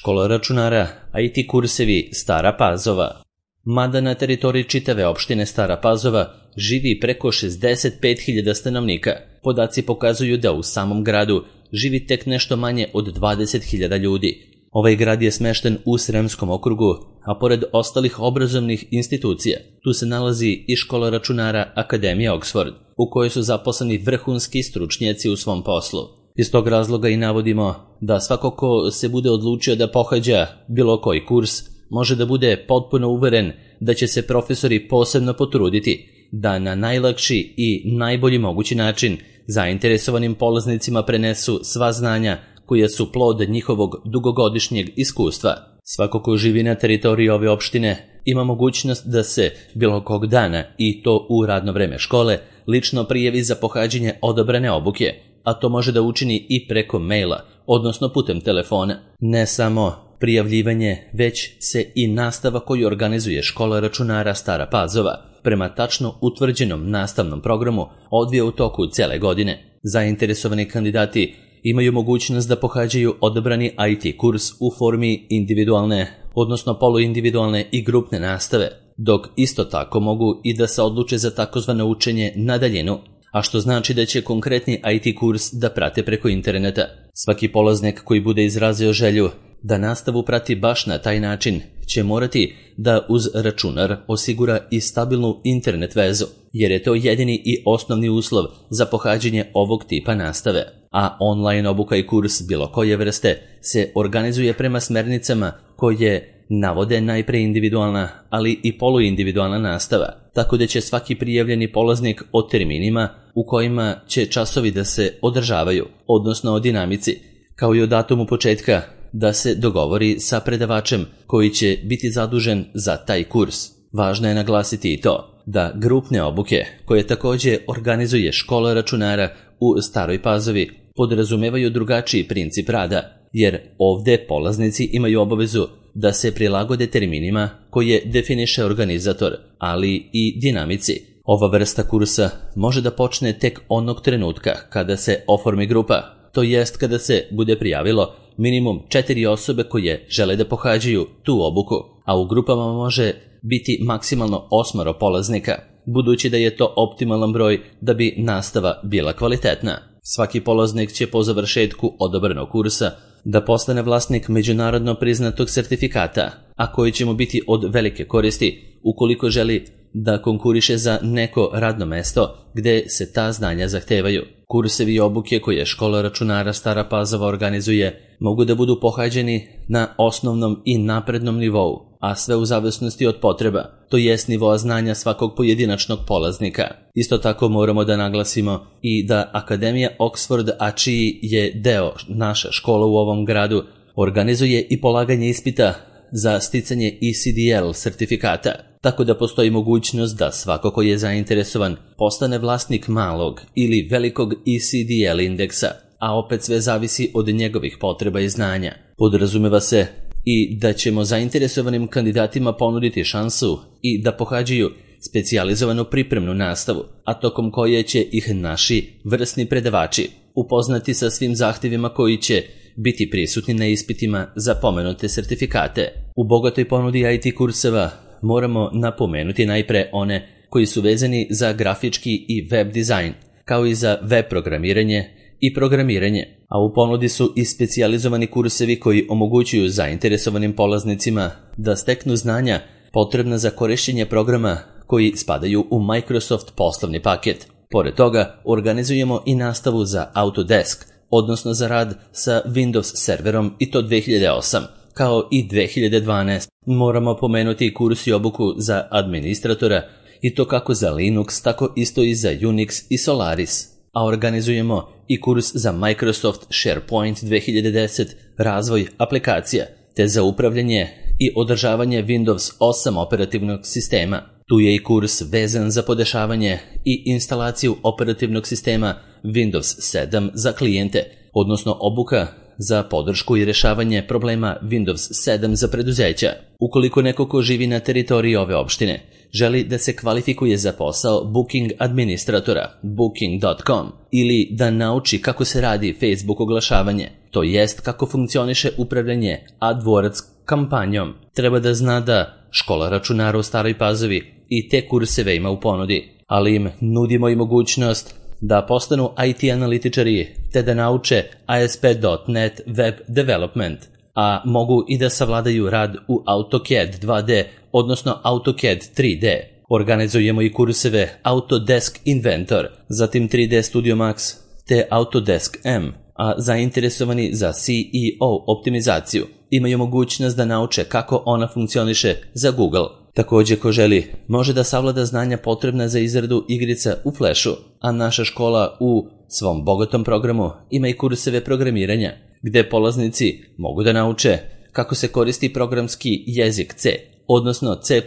Škola računara, IT kursevi Stara Pazova. Mada na teritoriji čitave opštine Stara Pazova živi preko 65.000 stanovnika, podaci pokazuju da u samom gradu živi tek nešto manje od 20.000 ljudi. Ovaj grad je smešten u Sremskom okrugu, a pored ostalih obrazovnih institucija, tu se nalazi i škola računara Akademija Oxford, u kojoj su zaposleni vrhunski stručnjaci u svom poslu. Iz tog razloga i navodimo da svako ko se bude odlučio da pohađa bilo koji kurs, može da bude potpuno uveren da će se profesori posebno potruditi da na najlakši i najbolji mogući način zainteresovanim polaznicima prenesu sva znanja koja su plod njihovog dugogodišnjeg iskustva. Svako ko živi na teritoriji ove opštine ima mogućnost da se bilo kog dana, i to u radno vreme škole, lično prijavi za pohađanje odabrane obuke, a to može da učini i preko maila, odnosno putem telefona. Ne samo prijavljivanje, već se i nastava koju organizuje škola računara Stara Pazova prema tačno utvrđenom nastavnom programu odvija u toku cele godine. Zainteresovani kandidati imaju mogućnost da pohađaju odabrani IT kurs u formi individualne, odnosno poluindividualne i grupne nastave, dok isto tako mogu i da se odluče za takozvano učenje na daljinu, a što znači da će konkretni IT kurs da prate preko interneta. Svaki polaznik koji bude izrazio želju da nastavu prati baš na taj način će morati da uz računar osigura i stabilnu internet vezu, jer je to jedini i osnovni uslov za pohađanje ovog tipa nastave. A online obuka i kurs bilo koje vrste se organizuje prema smernicama koje navode najpre individualna, ali i poluindividualna nastava, tako da će svaki prijavljeni polaznik o terminima u kojima će časovi da se održavaju, odnosno o dinamici, kao i o datumu početka, da se dogovori sa predavačem koji će biti zadužen za taj kurs. Važno je naglasiti i to da grupne obuke, koje također organizuje škola računara u Staroj Pazovi, podrazumevaju drugačiji princip rada, jer ovde polaznici imaju obavezu da se prilagode terminima koje definiše organizator, ali i dinamici. Ova vrsta kursa može da počne tek onog trenutka kada se oformi grupa, to jest kada se bude prijavilo minimum 4 osobe koje žele da pohađaju tu obuku, a u grupama može biti maksimalno 8 polaznika, budući da je to optimalan broj da bi nastava bila kvalitetna. Svaki polaznik će po završetku odabranog kursa da postane vlasnik međunarodno priznatog sertifikata, a koji će mu biti od velike koristi ukoliko želi da konkuriše za neko radno mesto gde se ta znanja zahtevaju. Kursevi i obuke koje škola računara Stara Pazova organizuje mogu da budu pohađeni na osnovnom i naprednom nivou, a sve u zavisnosti od potreba, to jest nivoa znanja svakog pojedinačnog polaznika. Isto tako moramo da naglasimo i da Akademija Oxford, a čiji je deo naša škola u ovom gradu, organizuje i polaganje ispita za sticanje ECDL sertifikata, tako da postoji mogućnost da svako ko je zainteresovan postane vlasnik malog ili velikog ECDL indeksa, a opet sve zavisi od njegovih potreba i znanja. Podrazumeva se i da ćemo zainteresovanim kandidatima ponuditi šansu i da pohađaju specijalizovanu pripremnu nastavu, a tokom koje će ih naši vrsni predavači upoznati sa svim zahtjevima koji će biti prisutni na ispitima za pomenute sertifikate. U bogatoj ponudi IT kurseva moramo napomenuti najpre one koji su vezani za grafički i web dizajn, kao i za web programiranje i programiranje, a u ponudi su i specijalizovani kursevi koji omogućuju zainteresovanim polaznicima da steknu znanja potrebna za korišćenje programa koji spadaju u Microsoft poslovni paket. Pored toga, organizujemo i nastavu za Autodesk, odnosno za rad sa Windows serverom, i to 2008, kao i 2012. Moramo pomenuti i kurs i obuku za administratora, i to kako za Linux, tako isto i za Unix i Solaris. A organizujemo i kurs za Microsoft SharePoint 2010, razvoj aplikacija, te za upravljanje i održavanje Windows 8 operativnog sistema. Tu je i kurs vezan za podešavanje i instalaciju operativnog sistema Windows 7 za klijente, odnosno obuka za podršku i rešavanje problema Windows 7 za preduzeća. Ukoliko neko ko živi na teritoriji ove opštine želi da se kvalifikuje za posao booking administratora, booking.com, ili da nauči kako se radi Facebook oglašavanje, to jest kako funkcioniše upravljanje AdWords kampanjom. Treba da zna da škola računara u Staroj Pazovi i te kurseve ima u ponudi, ali im nudimo i mogućnost da postanu IT analitičari te da nauče ASP.NET Web Development, a mogu i da savladaju rad u AutoCAD 2D, odnosno AutoCAD 3D. Organizujemo i kurseve Autodesk Inventor, zatim 3D Studio Max te Autodesk M, a zainteresovani za CEO optimizaciju imaju mogućnost da nauče kako ona funkcioniše za Google. Također, ko želi, može da savlada znanja potrebna za izradu igrica u Flashu, a naša škola u svom bogatom programu ima i kurseve programiranja, gde polaznici mogu da nauče kako se koristi programski jezik C, odnosno C++,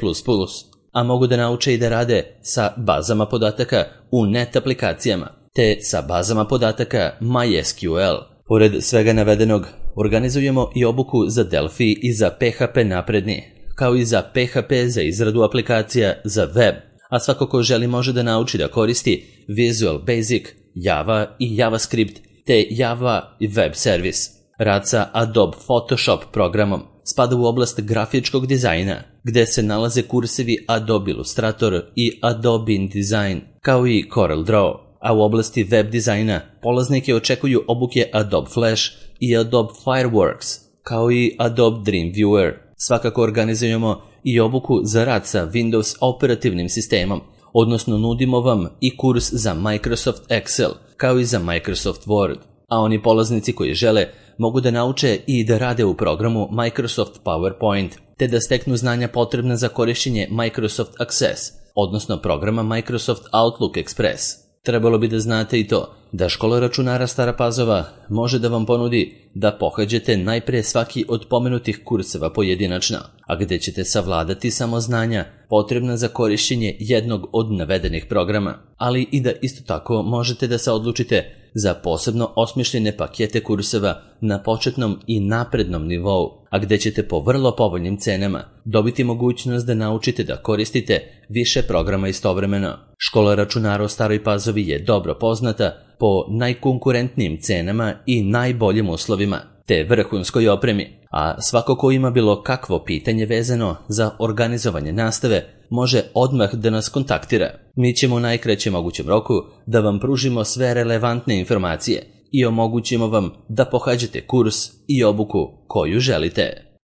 a mogu da nauče i da rade sa bazama podataka u net aplikacijama, te sa bazama podataka MySQL. Pored svega navedenog, organizujemo i obuku za Delphi i za PHP napredni, kao i za PHP za izradu aplikacija za web, a svako ko želi može da nauči da koristi Visual Basic, Java i JavaScript, te Java Web Service. Rad sa Adobe Photoshop programom spada u oblast grafičkog dizajna, gde se nalaze kursevi Adobe Illustrator i Adobe InDesign, kao i CorelDRAW, a u oblasti web dizajna polaznike očekuju obuke Adobe Flash i Adobe Fireworks, kao i Adobe Dreamweaver. Svakako organizujemo i obuku za rad sa Windows operativnim sistemom, odnosno nudimo vam i kurs za Microsoft Excel, kao i za Microsoft Word, a oni polaznici koji žele mogu da nauče i da rade u programu Microsoft PowerPoint, te da steknu znanja potrebna za korišćenje Microsoft Access, odnosno programa Microsoft Outlook Express. Trebalo bi da znate i to da škola računara Stara Pazova može da vam ponudi da pohađate najpre svaki od pomenutih kurseva pojedinačno, a gde ćete savladati samo znanja potrebna za korišćenje jednog od navedenih programa, ali i da isto tako možete da se odlučite za posebno osmišljene pakete kurseva na početnom i naprednom nivou, a gde ćete po vrlo povoljnim cenama dobiti mogućnost da naučite da koristite više programa istovremeno. Škola računara u Staroj Pazovi je dobro poznata po najkonkurentnijim cenama i najboljim uslovima, te vrhunskoj opremi, a svako ko ima bilo kakvo pitanje vezano za organizovanje nastave može odmah da nas kontaktira. Mi ćemo u najkraćem mogućem roku da vam pružimo sve relevantne informacije i omogućimo vam da pohađate kurs i obuku koju želite.